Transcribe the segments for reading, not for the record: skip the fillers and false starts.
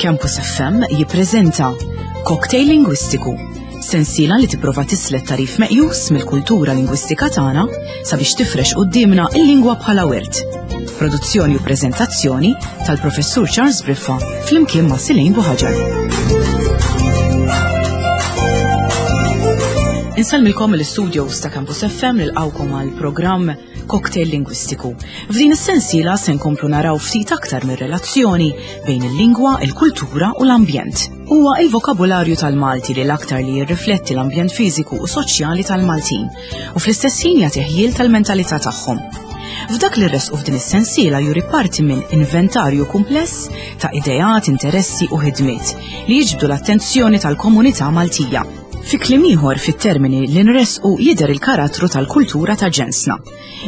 Campus FM jippreżenta Cocktail Lingwistiku, sensiela li tipprova tislet tarif meqjus mill-kultura lingwistika tagħna sabiex tifrex quddiemna il-lingwa bħala wirt. Produzzjoni u preżentazzjoni tal-Professur Charles Briffa flimkien ma' Silejn Buħaġar. Insellmilkom l-studios ta' Campus FM nilqawkom għal programm Cocktail Lingwistiku. F'din is-sensiela se nkomplu naraw ftit aktar mir-relazzjoni bejn il-lingwa, il-kultura u l-ambjent. Huwa il-vokabularju tal-Malti li l-aktar li jirrifletti l-ambjent fiżiku u soċjali tal-Maltin u fl-istess ħin jagħti ħjiel tal-mentalità tagħhom. F'dak li rresqu f'din is-sensiela juri parti minn inventarju kumpless ta' ideat, interessi u ħidmiet li jiġbdu l-attenzjoni tal-komunità Maltija. Fi kliem ieħor fit-termini li nressqu jidher il-karattru tal-kultura ta' ġensna.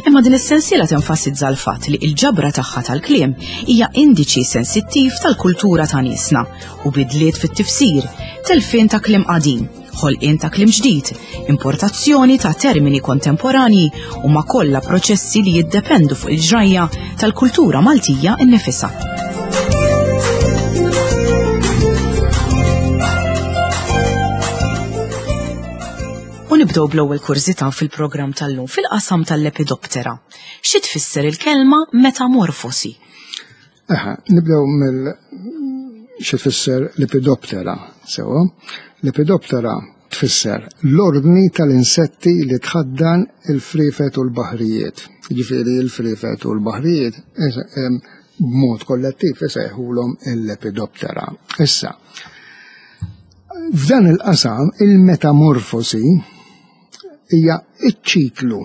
Imma din is-sensiela tenfasizza l-fatt li l-ġabra tagħha tal-kliem hija indiċi sensittiv tal-kultura ta' niesna u bidliet fit-tifsir, telfien ta' kliem qadim, ħolqien ta' kliem ġdid, importazzjoni ta' termini kontemporanji huma kollha proċessi li jiddependu fuq il-ġrajja tal-kultura Maltija innifisha. U nibdew bl-ewwel kurżità fil-programm tal-lum fil-qasam tal-Lepidoptera. Xi tfisser il-kelma metamorfosi? Eħe, nibdew mill xi tfisser Lepidoptera, sewa. Lepidoptera tfisser l-ordni tal-insetti li tħaddan il-friefet u l-baħrijiet. Jiġifieri l-friefet u l-baħrijiet b'mod kollettiv isejħulhom il-Lepidoptera. Issa, f'dan il-qasam il-metamorfosi hija iċ-ċiklu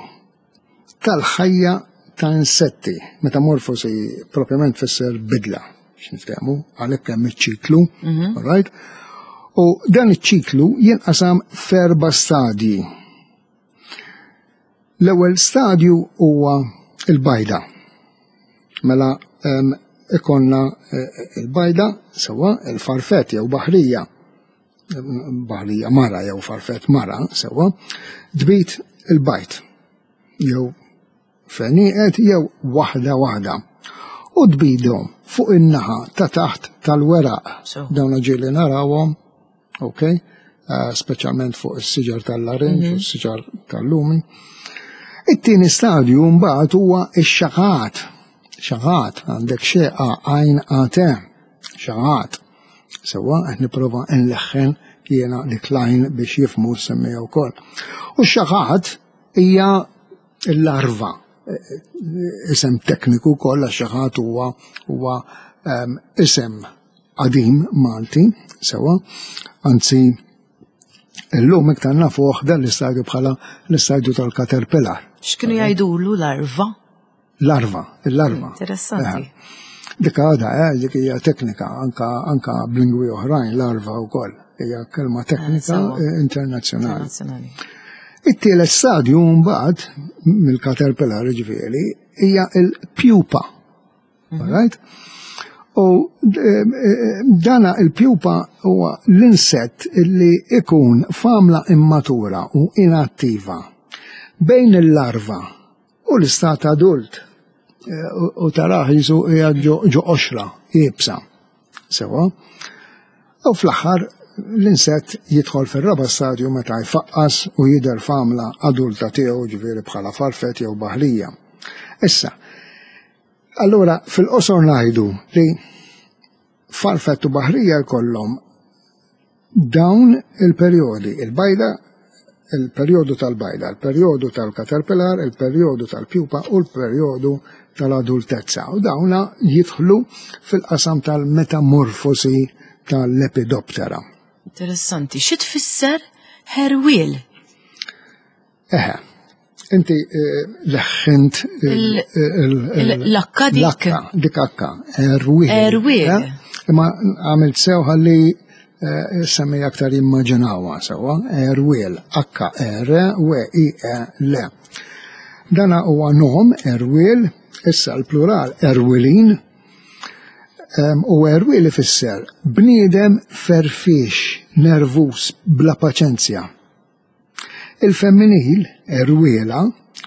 tal-ħajja ta' insetti. Metamorfosi propjament tfisser bidla, x'niftehmu, għalhekk hemm iċ-ċiklu, mhm. right? U dan iċ-ċiklu jinqasam f'erba' stadji. L-ewwel stadju huwa il-bajda. Mela ikonna eh, il-bajda sewa il-farfet jew baħrija baħrija mara jew farfet mara sewwa, tbid il-bajt jew fenieqet jew waħda waħda u tbidhom fuq in-naħa ta' taħt tal-weraq. Dawn ġieli narawhom, ok, eh, speċjalment fuq is-siġar tal-larinġ u mhm. s-siġar tal-lumi. It-tieni stadju mbagħad huwa x-xaqat. Xaqat għandek xeqa għajn għate, xaqat. Sewwa qed nipprova nleħħen jiena dik l-għajn biex jifhmu s-semmiegħa wkoll. U x-xaħat hija l-larva, isem tekniku wkoll għax xaħat huwa huwa ehm, isem qadim Malti, sewwa, anzi illum iktar nafuh dan l-istadju bħala l-istadju tal-caterpillar. X'kienu jgħidulu larva? Larva, il-larva. Interessanti. Eh, dik għada, eh, dik hija teknika, anka, anka b'lingwi oħrajn, larva wkoll, hija kelma teknika eh, eh, internazzjonali. It-tielet stadju mbagħad mill-caterpillar ġifieri hija il-pupa. Mhm. Right? U dana il-pupa huwa l-insett li ikun famla immatura u inattiva bejn il-larva U l-istat adult u tarah jisu qiegħed ġo qoxra iebsa. Sewa. U fl-aħħar l-insett jidħol fir-raba' stadju meta jfaqqas u jidher f'għamla adulta tiegħu ġifieri bħala farfett jew baħrija. Issa, allura fil-qosor ngħidu li farfett u baħrija jkollhom Dawn il-perjodi, il-bajda, il-perjodu tal-bajda, il-perjodu tal-caterpillar, il-perjodu tal-pupa u l-perjodu tal-adultezza. U dawna jidħlu fil-qasam tal-metamorfosi tal-Lepidoptera. Interessanti. Xi tfisser ħerwiel? Eħe, inti eh, leħħint l-akka dik. L-akka, dik akka, erwieħ. Erwieħ. Eh? Imma għamilt sew ħalli eh, semmi aktar jimmaġinawa sewa, erwiel, akka R, W, I, E, L. Dana huwa nom, erwiel, issa l-plural erwilin, u erwiel ifisser bniedem ferfix, nervus, bla paċenzja. Il-femminil, erwiela,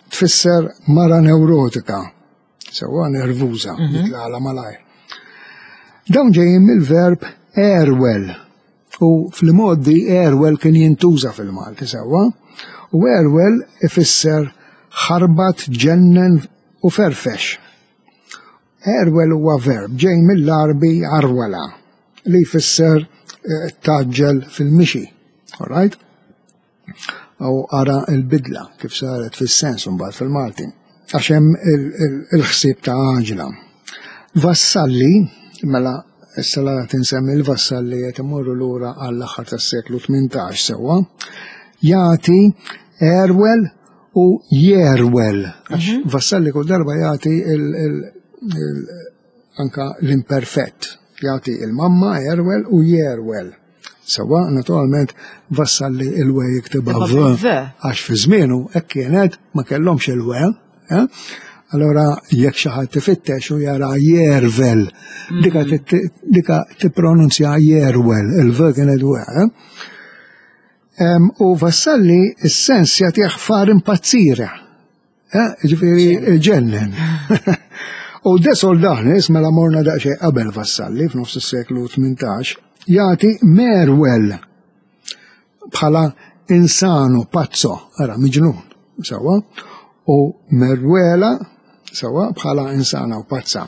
tfisser mara neurotika, sewwa nervuża, mhm. jitlala malajr. Dawn ġejjin mill-verb Erwel. U fl-modi erwel kien jintuża fil-Malti sewwa. U erwel ifisser ħarbat, ġennen u ferfex. Erwel huwa verb ġej mill-Għarbi arwala li jfisser eh, taġġel fil-mixi. All right? U ara l-bidla kif saret fis-sens mbagħad fil-Malti. Għax hemm il-ħsieb ta' għaġla. Vassalli, mela issa la tinsemmi l-vassalli qed imorru lura għall-aħħar tas-seklu 18 sewwa, jagħti erwel u jerwel. Għax mhm. Vassalli kull darba jagħti anka l-imperfett. Jagħti il-mamma erwel u jerwel. Sawa, naturalment, Vassalli il-we jiktibha v, għax fi żmienu hekk kienet ma kellhomx il-we. Eh? Allora jekk xi ħadd ifittex u jara jervel, dika mm. dika tippronunzja jerwel, il-v kienet we. Eh? U Vassalli s-sens jagħtih far impazzire. Eh, ġifieri ġennen. U De Soldanis, mela morna daqsxejn qabel Vassalli f'nofs is-seklu 18, jagħti Merwell bħala insano, pazzo, ara miġnun, sewwa, u Merwela sewwa bħala insana u pazza.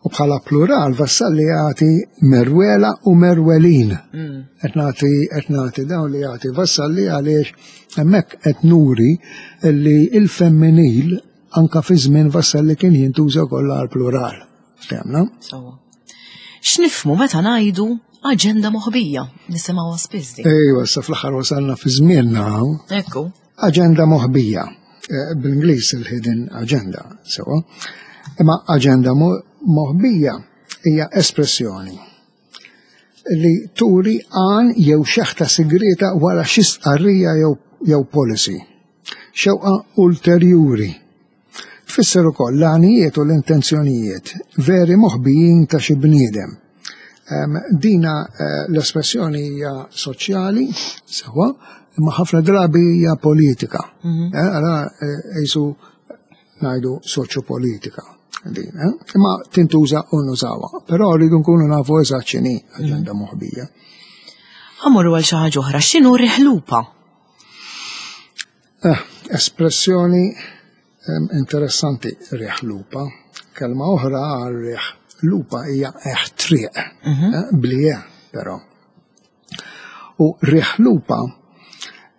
U bħala plural Vassalli jagħti Merwela u Merwelin. Mm. Qed nagħti qed nagħti dawn li jagħti Vassalli għaliex hemmhekk qed nuri li il-femminil anka fi żmien Vassalli kien jintuża kollha għal plural. Ftemna? Sewwa. X'nifhmu meta ngħidu aġenda moħbija? Nisimgħuha spiss din. Ejwa, sa fl-aħħar wasalna fi żmienna. Ekku. Aġenda moħbija. Eh, bl-Ingliż il-hidden agenda, sewa. Imma aġenda moħbija hija espressjoni li turi għan jew xeħta sigrita wara xi stqarrija jew jew policy. Xewqa ulterjuri. Tfisser ukoll l-għanijiet u l-intenzjonijiet veri moħbijin ta' xi bniedem. Dina eh, l-espressjoni hija soċjali, sewa, imma ħafna drabi hija politika. Mhm. Eh, Ara eh, jisu ngħidu soċjopolitika din, imma tintuża u nużawha. Però rridu nkunu nafu eżatt x'inhi aġenda mhm. moħbija. Ħamorru għal xi ħaġa oħra, x'inhu riħlupa? Eh, espressjoni interessanti riħ lupa. Kelma oħra għal riħ lupa hija eħ triq, mhm. eh, blije però. U riħ lupa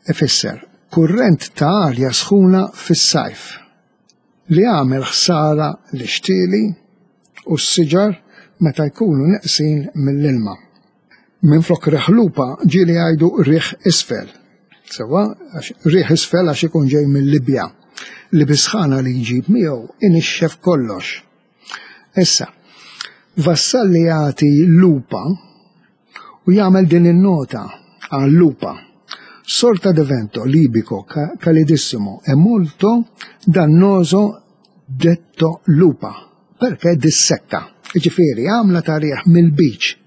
ifisser kurrent ta' arja sħuna fis-sajf li jagħmel ħsara lix-xtieli u s-siġar meta jkunu neqsin mill-ilma. Minflok riħ lupa ġieli jgħidu riħ isfel. Sewwa, għax riħ isfel għax ikun ġej mill-Libja li bis-sħana li jġib miegħu inixxef kollox. Issa, Vassalli jagħti lupa u jagħmel din in-nota għal lupa. Sorta di vento libico calidissimo e molto dannoso detto lupa, perché dissecca. Jiġifieri għamla ta' riħ mill-beach.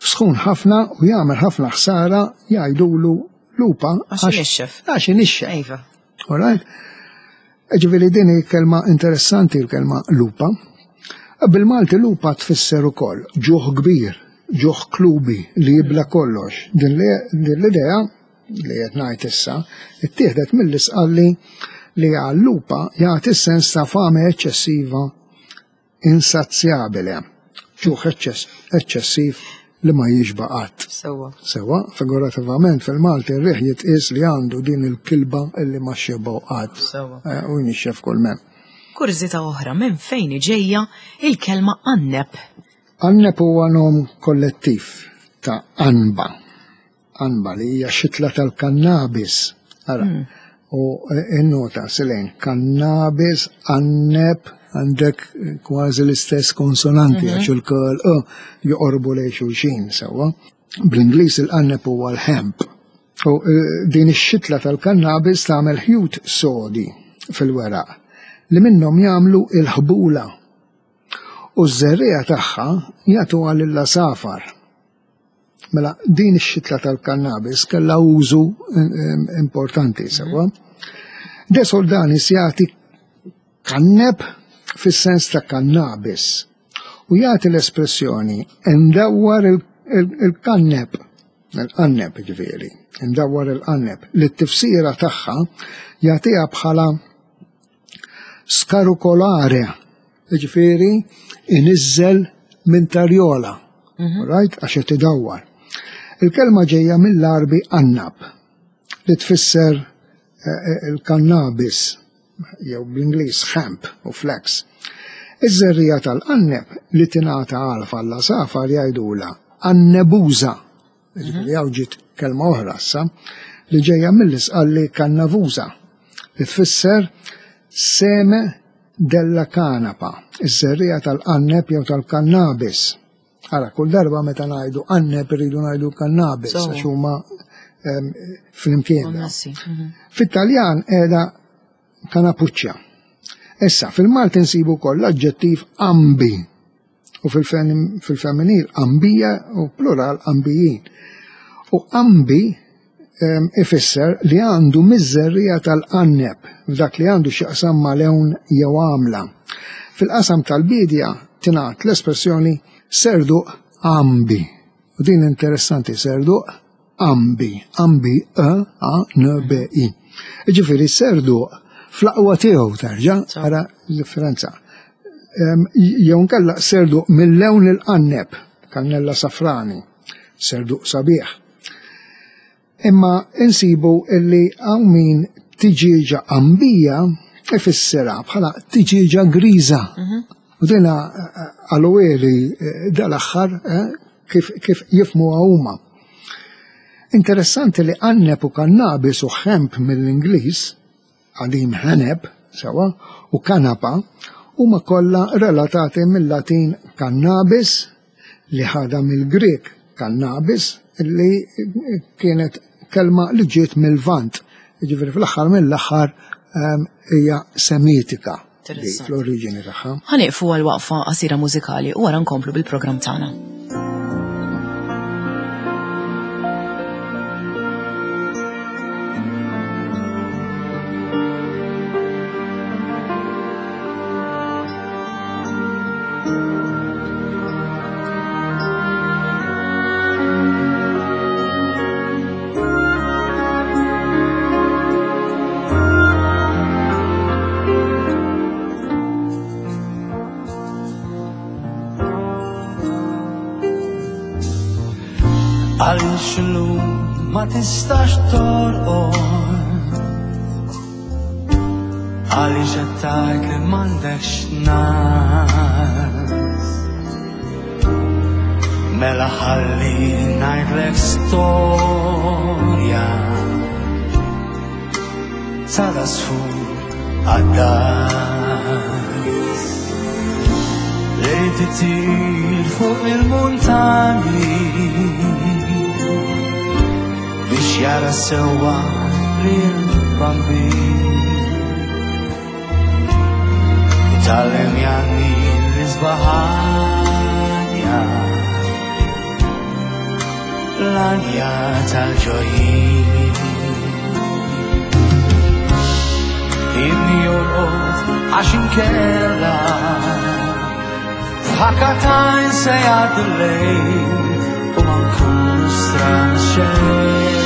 Sħun ħafna u jagħmel ħafna ħsara jgħidulu lupa għax inixxef. Għax inixxef. Iva. All right? Ġifieri din hi kelma interessanti l-kelma lupa. Bil-Malti lupa tfisser ukoll ġuħ kbir, ġuħ klubi li jibla kollox. Din l-idea li qed ngħid issa ittieħdet mill-isqalli li għal lupa jagħti sens ta' fame eċċessiva insazzjabile, ġuħ eċċessiv li ma jixba qatt. Sewwa. Sewwa, figurativament fil-Malti r-riħ jitqies li għandu din il-kilba illi ma xebgħu qatt. Sewwa. Eh, u jnixxef kull mem. Kurżità oħra minn fejn ġejja il-kelma anneb? Anneb huwa nom kollettiv ta' anba. Anba li hija xitla tal-kannabis. Ara, hmm. u innota silejn, kannabis, anneb, għandek kważi l-istess konsonanti mhm. għax il-kol joqorbu lejn xulxin sewwa. Bl-Ingliż il-qanneb huwa l-hemp. U e, din ix-xitla tal-kannabis tagħmel ħjut sodi fil-weraq li minnhom jagħmlu il-ħbula. U ż-żerriegħa tagħha jagħtuha lill-għasafar. Mela din ix-xitla tal-kannabis kellha użu importanti sewwa. De Soldanis jagħti kanneb fis-sens ta' kannabis u jagħti l-espressjoni ndawwar Il-kanneb, il-qanneb ġifieri, imdawwar il-qanneb, li t-tifsira tagħha jagħtiha bħala skarukolare, ġifieri iniżżel minn tarjola, right, għax qed idawwar. Il-kelma ġejja mill-Għarbi annab, li tfisser eh, eh, il-kannabis, jew bl-Ingliż hemp u flax. Iż-żerriegħa tal-qanneb li tingħata għalf għall-għasafar jgħidulha annebuża. Jiġifieri hawn ġiet kelma oħra issa li ġejja mill-Isqalli kannavuża li tfisser seme della canapa, iż-żerriegħa tal-qanneb jew tal-kannabis. Ara, kull darba meta ngħidu qanneb irridu ngħidu kannabis għax huma ehm, flimkien. Mhm. Fit-Taljan qiegħda kanapuċċja. Issa, fil-Malti nsibu wkoll l-aġġettiv ambi u fil-femminil ambija u plural ambijin. U ambi ehm, ifisser li għandu miżerrija tal-qanneb f'dak li għandu x'jaqsam ma' lewn jew għamla. Fil-qasam tal-biedja tingħad l-espressjoni serduq ambi. U din interessanti serduq ambi, ambi e a n b i. Ġifieri serduq fl-aqwa tiegħu terġa' ara l-differenza. Jew nkella serduq mill-lewn il-qanneb, kannella safrani, serduq sabiħ. Imma insibu illi hawn min tiġieġa qambija ifissirha bħala tiġieġa griża. Mhm. U dina għalueli eh, dal-aħħar eh, kif, kif jifmuha huma. Interessanti li qanneb u kannabis u ħemp mill-Ingliż qadim ħeneb, sewa, u kanapa, huma kollha relatati mill-Latin cannabis li ħadha mill-Grieg cannabis li kienet kelma li ġiet mill-Lvant. Jiġifieri fl-aħħar mill-aħħar ehm, hija Semitika fl-oriġini tagħha. Ħa nieqfu għal waqfa qasira mużikali u wara nkomplu bil-programm tagħna. Għaliex illum ma tistax torqod Għaliex qed tgħid li m'għandekx nas Mela ħalli ngħidlek storja Tal-asfur għaddas Li titir fuq il-muntani Biex jara sewwa lil bambin Itallem janni l-isbaħanja L-anja tal-ġojjin Inni jorqod għax inkella F'ħakatajn se jgħaddi l-lejl u ma nkunu stran xejn.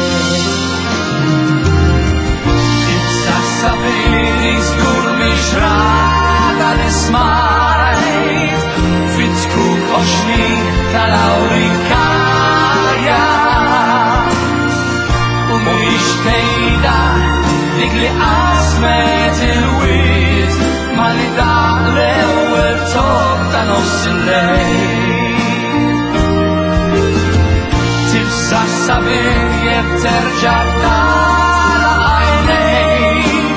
Ibsa sabini żgur mhix rata li smajt fit-tkun oxni tal-awrikaja. U mhix tgħidha dik li qasmet il-wied ma li daq l-ewwel top ta' nofs il-lejl. Tibsa sabiħ jekk terġa' tara għajnejk,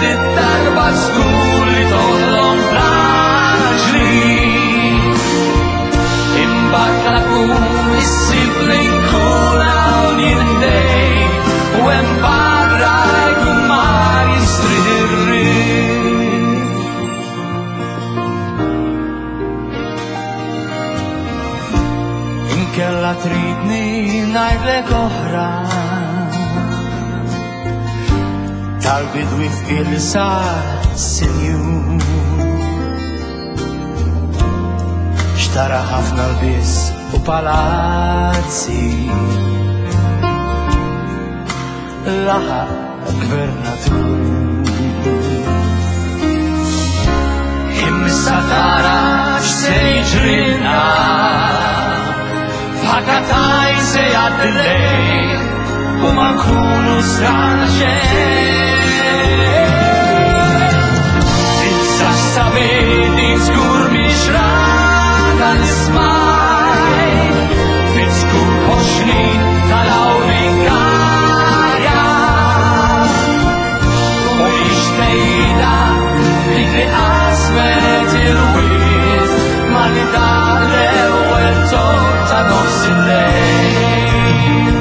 Dit-darba żgur li toħlom bl-għaġli. Imbagħad la tkun issib li nkun hawn jien ħdejk u hemm barra jkun mar jistrieħ ir-riħ. Inkella tridni ngħidlek oħra tal-bidwi fqir li sar sinjur. Xtara ħafna l-biss u palazzi. Laħaq gvernatur. Imma tara x'se jiġrilna F'ħakataj se jgħaddi lejl u ma nkunu strana xejn. Issa x'sabini żgur mhix rada l-ismaj fit-skur ħoxnin tal-awrikarja. U mhix tgħidha dik li qasmet il-wied ma li daq l-ewwel tort ta' nofs il-lejl.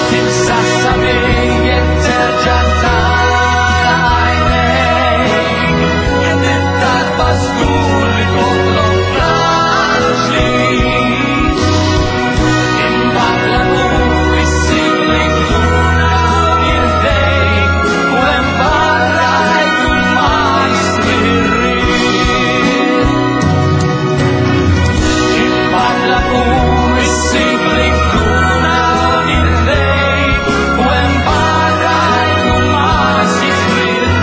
Tibsassa jekk terġa' tara għajnejk, id-darba żgur li toħloq raġli. Imbagħad l-għadur issib li jkun hawn ħdejk u hemm barra jkun ma jismirrik. Imbagħad l-għadur issib li jkun hawn ħdejk u hemm barra jkun ma jismirrik.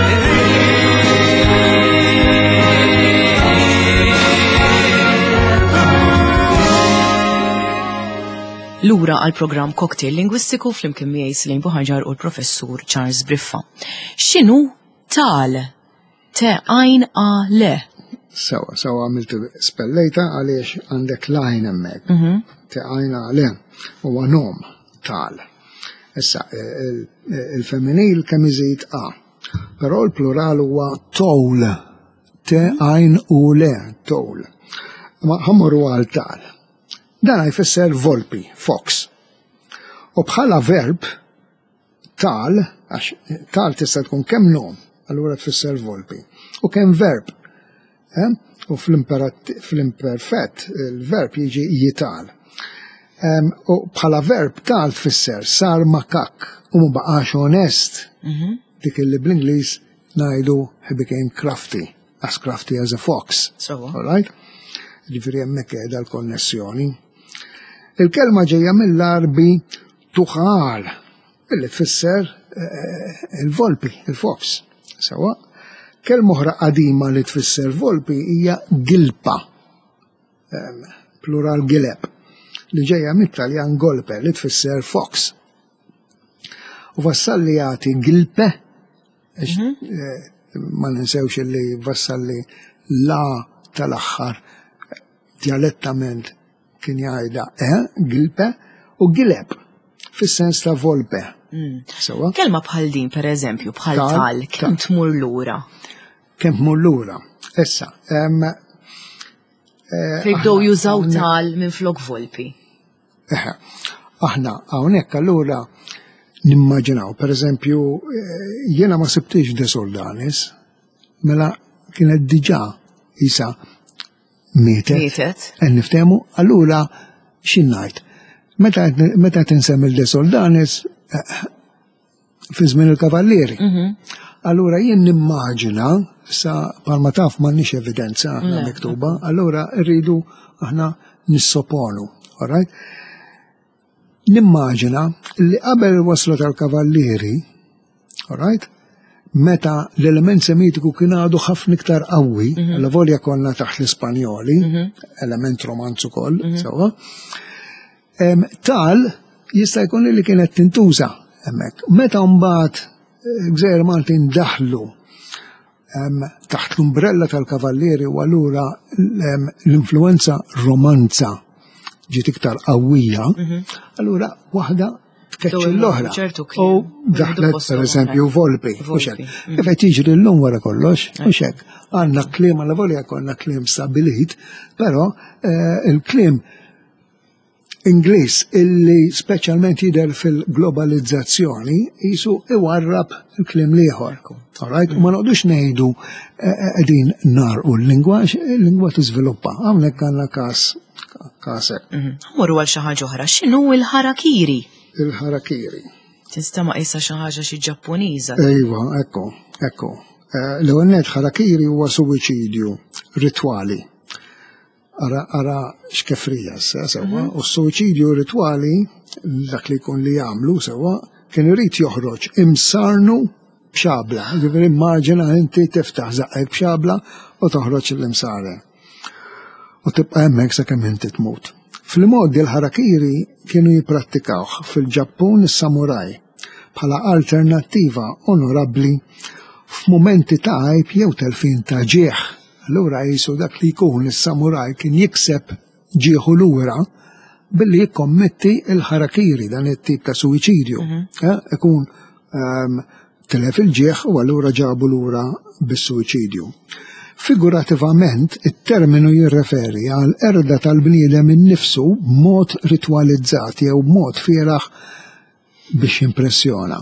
Lura għal programm Cocktail Lingwistiku flimkien miegħi Slim Buħaġar u l-professur Charles Briffa. X'inhu tal? Te għajn a le. Sewa, sewa għamiltu spellejta għaliex għandek lajn hemmhekk. Te għajn a le huwa nom tal. Issa il-femminil kemm iżid a. Però l-plural huwa towl. Te għajn u le, towl. Ma ħammorru għal tal. Dan jfisser volpi, fox. U bħala verb tal, għax tal tista' tkun kemm nom, allura tfisser volpi, u kemm verb. Eh? U fl-imperfett il-verb jiġi jital. U bħala verb tal tfisser sar makak u ma baqax onest. Dik li bl-Ingliż ngħidu he became crafty, as crafty as a fox. Sewa. All right? Ġifieri hemmhekk qiegħda l-konnessjoni. Il-kelma ġejja mill-Arbi tuħal, illi tfisser il-volpi, il-fox. Sewa. Kelma oħra qadima li tfisser volpi hija gilpa, plural gileb, li ġejja mit-Taljan golpe li tfisser fox. U Vassalli jagħti gilpe, ma ninsewx li Vassalli la tal-aħħar dialettament kien jgħidha e, gilpe, u gileb fis-sens ta' volpe. Sewa? Kelma bħal din, per eżempju, bħal Tal, tal, kemm tal. tmur lura? Kemm tmur lura? Issa, Fejn bdew aħna jużaw hawnhekk tal minn flok volpi. Eħe, aħna hawnhekk allura nimmaġinaw, per eżempju, jiena ma sibtix De Soldanis, mela kienet diġà isa mietet. Mietet. Qed niftehmu, allura x'in ngħid? Meta qed insemmi De Soldanis, fi żmien il-Kavallieri. Allura jien nimmaġina, sa palma taf m'għandniex evidenza aħna miktuba, allura rridu aħna nissoponu, all right? Nimmaġina li qabel il-wasla tal-Kavallieri, all right? Meta l-element semitiku kien għadu ħafna iktar qawwi, alla volja konna taħt l-Ispanjoli, element romanz ukoll, sewwa. Tal jista' jkun li kienet tintuża hemmhekk. Meta mbagħad Gżejjer Maltin daħlu taħt l-umbrella tal-Kavallieri u allura l-influenza romanza ġiet iktar qawwija, allura waħda tkeċċi Dowru l-oħra. ċertu U kliem. daħlet, Postu per eżempju, oħra. volpi, u Volpi. xek. Kif qed jiġri llum wara kollox, u xek. Għandna kliem għal volja konna kliem stabilit, però il-kliem Ingliż illi speċjalment jidher fil-globalizzazzjoni jisu iwarrab il-kliem l-ieħor. All right? U ma noqgħodux ngħidu qegħdin narqu l-lingwa, għax il-lingwa tiżviluppa. Hawnhekk għandna każ kasek. Morru għal xi ħaġa oħra, x'inhu l-ħarakiri? Il-ħarakiri. Tista' ma qisha xi ħaġa xi Ġappuniża. Ejwa, ekku, ekku. L-ewwel nett ħarakiri huwa suwiċidju ritwali. Ara, ara xkefrija issa, sewwa, u s-suwiċidju ritwali, dak li jkun li jagħmlu sewwa, kien irid joħroġ imsarnu b'xabla, ġifieri immaġina inti tiftaħ żaqqek b'xabla u toħroġ l-imsaren. U tibqa' hemmhekk sakemm inti tmut. Fl-imgħoddi l-ħarakiri kienu jipprattikawh fil-Ġappun is-samuraj bħala alternattiva onorabbli f'mumenti ta' għajb jew telfien ta' ġieħ. Allura qisu dak li jkun is-samuraj kien jikseb ġieħu lura billi jikkommetti il-ħarakiri dan it-tip ta' suwiċidju. Mhm. Eh, ikun ehm, tilef il-ġieħ u allura ġabu lura bis-suwiċidju. Figurativament, it-terminu jirreferi għal erda tal-bniedem innifsu b'mod ritwalizzat jew b'mod fieraħ biex jimpressjona.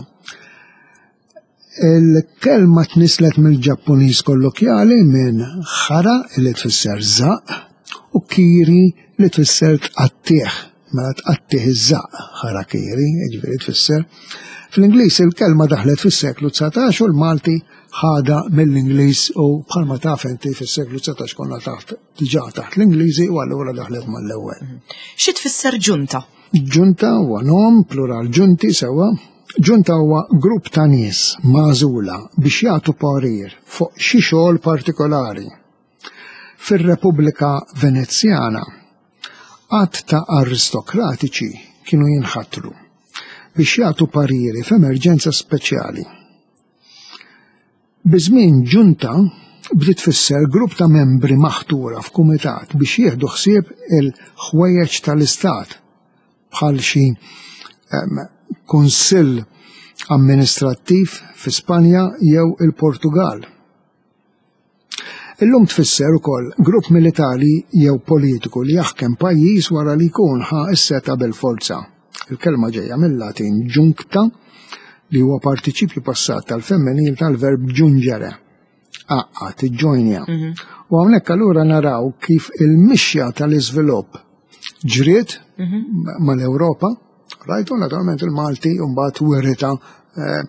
Il-kelma tnisslet mill-Ġappuniż kollokjali minn hara li tfisser żaqq u kiri li tfisser tqattigħ. Mela tqattigħ iż-żaqq harakiri, jiġifieri tfisser. Fl-Ingliż il-kelma daħlet fis-seklu 19 u l-Malti ħadha mill-Ingliż u bħalma taf inti fis-seklu 19 konna taħt diġà taħt l-Ingliżi u allura daħlet mal-ewwel. Xi tfisser ġunta? Ġunta huwa nom, plural ġunti sewwa. Ġunta huwa grupp ta' nies magħżula biex jagħtu parir fuq xi xogħol partikolari. Fir-Repubblika Venezjana, għadd ta' aristokratiċi kienu jinħatru biex jagħtu pariri f'emerġenza speċjali. Biż-żmien ġunta bdiet tfisser grupp ta' membri maħtura f'kumitat biex jieħdu ħsieb il-ħwejjeġ tal-istat, bħal xi kunsill amministrattiv fi Spanja jew il-Portugall. Illum tfisser ukoll grupp militari jew politiku li jaħkem pajjiż wara li jkun ħa s-setgħa bil-forza. Il-kelma ġejja mil-Latin juncta li huwa partiċipju passat tal-femminil tal-verb giungere, għaqqad, iġġojnja. Mhm. U hawnhekk allura naraw kif il-mixja tal-iżvilupp ġriet mhm. mal-Ewropa, rajtu naturalment il-Malti mbagħad wirita eh,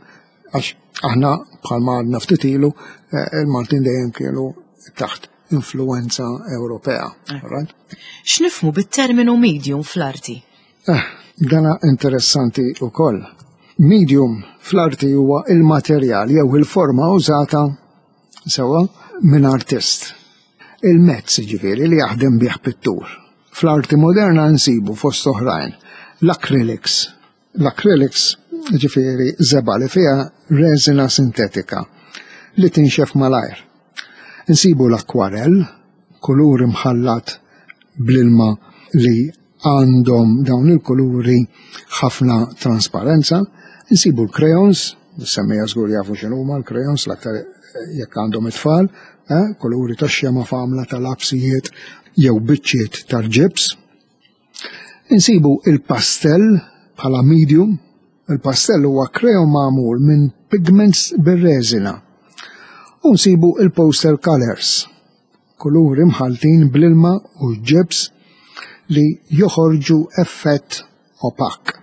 Għax aħna bħalma għadna ftit ilu eh, il-Maltin dejjem kienu taħt influenza Ewropea. Eh. Right? X'nifhmu bit-terminu medium fl-arti? Eh, dana interessanti wkoll. Medium fl-arti huwa il-materjal jew il-forma użata sewa minn artist. Il-mezz ġifieri li jaħdem bih pittur. Fl-arti moderna nsibu fost oħrajn l-acrylics, L-acrylics, ġifieri żebgħa li fiha reżina sintetika li tinxef malajr. Insibu l-akkwarell, kulur imħallat bl-ilma li għandhom dawn il-kuluri ħafna trasparenza. Insibu l-crayons, semmija żgur jafu x'inhuma l-crayons l-aktar jekk għandhom it-tfal, eh, kuluri tax-xema f'għamla ta' lapsijiet jew biċċiet tal-ġibs. Insibu il-pastell bħala medium. Il-pastell huwa kreon magħmul minn pigments bir-reżina. U nsibu il-poster colors, kuluri mħalltin bl-ilma u ġibs li joħorġu effett opak.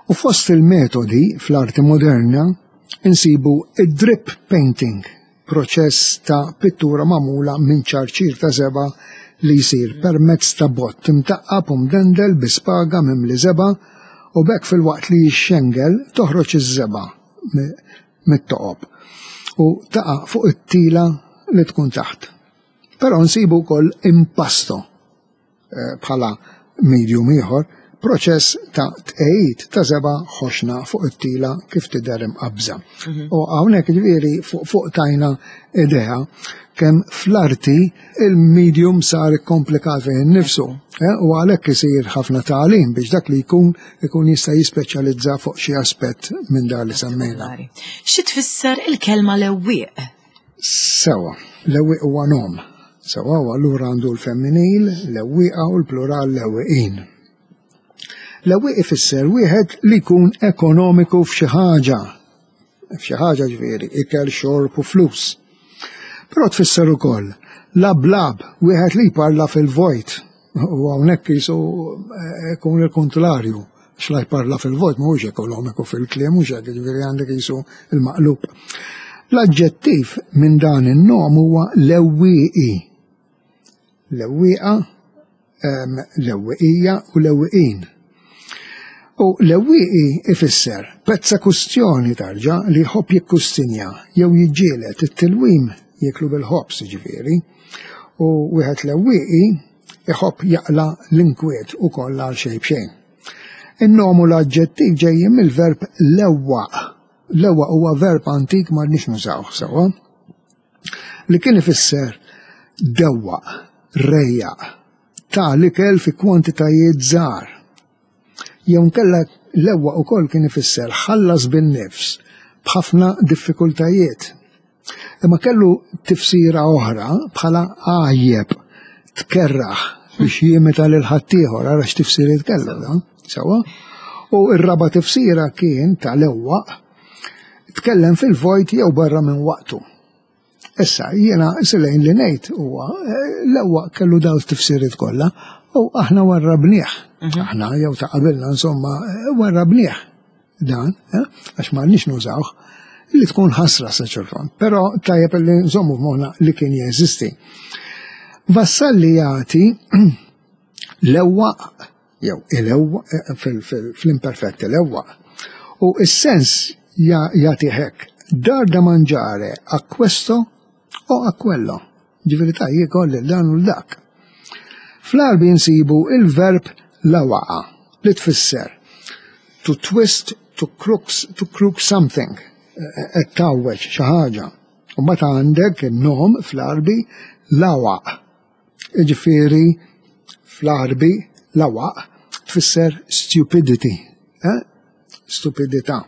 U fost il-metodi fl-arti moderna insibu id-drip painting, proċess ta' pittura magħmula minn ċarċir ta' żebgħa li jsir permezz ta' bott imtaqqab u mdendel bi spaga mimli żebgħa u b'hekk filwaqt li jixxengel toħroġ iż-żebgħa mit-toqob u taqa' fuq it-tila li tkun taħt. Però nsibu wkoll impasto eh, bħala medium ieħor, proċess ta' tqegħid ta' żebgħa ħoxna fuq it-tila kif tidher imqabża. Mhm. U hawnhekk ġifieri fuq fuq tajna idea kemm fl-arti il-medium sar komplikat fih innifsu eh, u għalhekk isir ħafna tagħlim biex dak li jkun ikun jista' jispeċjalizza fuq xi aspett minn dan li semmejna. Xi tfisser il-kelma lewwieq? Sewa, lewwieq huwa nom. Sewa, u allura għandu l-femminil, lewwieqa u l-plural lewwieqin. Lewwieq ifisser wieħed li jkun ekonomiku f'xi ħaġa. F'xi ħaġa ġifieri, ikel, xorb u flus. Però tfisser ukoll lablab, wieħed li jparla fil-vojt. U hawnhekk qisu eh, ikun il-kontlarju. Xla jparla fil-vojt mhuwiex ekonomiku fil-kliem mhux hekk, jiġifieri għandek qisu il-maqlub. L-aġġettiv minn dan in-nom huwa lewwieqi. Lewwieqa. Lewwiqija u lewwiqin. U lewwieqi ifisser pezza kustjoni tarġa li jħobb jikkustinja jew jiġġieled it-tilwim jieklu bil-ħobż jiġifieri. U wieħed lewwieqi iħobb jaqla' l-inkwiet ukoll għal xejn b'xejn. In-nom u l-aġġettiv ġejjin mill-verb lewwaq. Lewwaq huwa verb antik m'għadniex nużawh sewwa. Li kien ifisser dewwaq, rejjaq, ta' l-ikel fi kwantitajiet żgħar. Jew nkella lewwaq ukoll kien ifisser ħallas bin-nifs b'ħafna diffikultajiet. Imma kellu tifsira oħra bħala għajjeb, tkerraħ biex jimita lil ħaddieħor, ara x'tifsiriet kellu dan, sewwa. U r-raba' tifsira kien ta' lewwaq, tkellem fil-vojt jew barra minn waqtu. Issa, jiena silejn li ngħid huwa eh, l-ewwa kellu daw tifsiriet kollha u aħna warrabnieh. Mhm. Aħna jew ta' qabilna insomma eh, warrabnieh dan, eh, għax ma nix nużawh li tkun ħasra sa ċerton. Però tajjeb li nżommu f'moħħna li kien jeżisti. Vassalli jagħti l-ewwa jew il-ewwa eh, fl-imperfett il-ewwa. U s-sens jagħti hekk dar da mangiare a questo o a quello. Ġifieri ta' jiekol lil dan u dak. Fl-Għarbi nsibu il-verb lawaqa li tfisser to twist, to crooks, to crook something, eh, qed tgħawweġ xi ħaġa. U mbagħad għandek in-nom fl-Għarbi lawaq. Jiġifieri fl-Għarbi lawaq tfisser stupidity, eh? stupidità.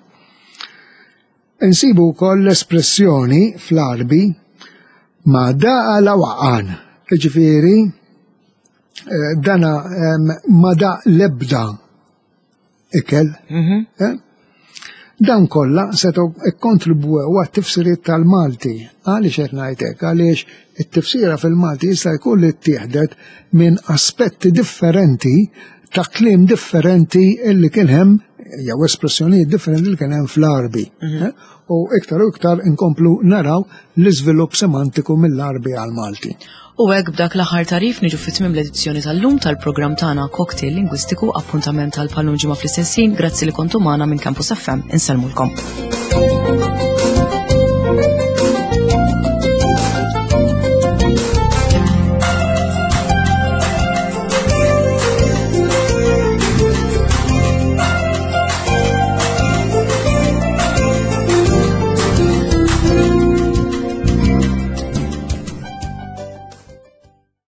Insibu wkoll l-espressjoni fl-Għarbi ma daqa lawaqan, jiġifieri eh, dana ma daq lebda ikel. Mhm. Eh? Dan kollha setgħu kkontribwew għat-tifsiriet tal-Malti. Għaliex qed ngħid hekk? Għaliex it-tifsira fil-Malti jista' jkun li ttieħdet minn aspetti differenti ta' kliem differenti illi kien hemm jew espressjonijiet differenti li kien hemm fl-Għarbi. Mhm. Eh? U iktar u iktar inkomplu naraw l-iżvilupp semantiku mill-Għarbi għall-Malti. U hekk b'dak l-aħħar tagħrif niġu fi tmiem l-edizzjoni tal-lum tal-programm tagħna Cocktail Lingwistiku appuntament tal-bħal ġimgħa fl-istess ħin. Grazzi li kontu magħna minn Campus FM. Insellmulkom.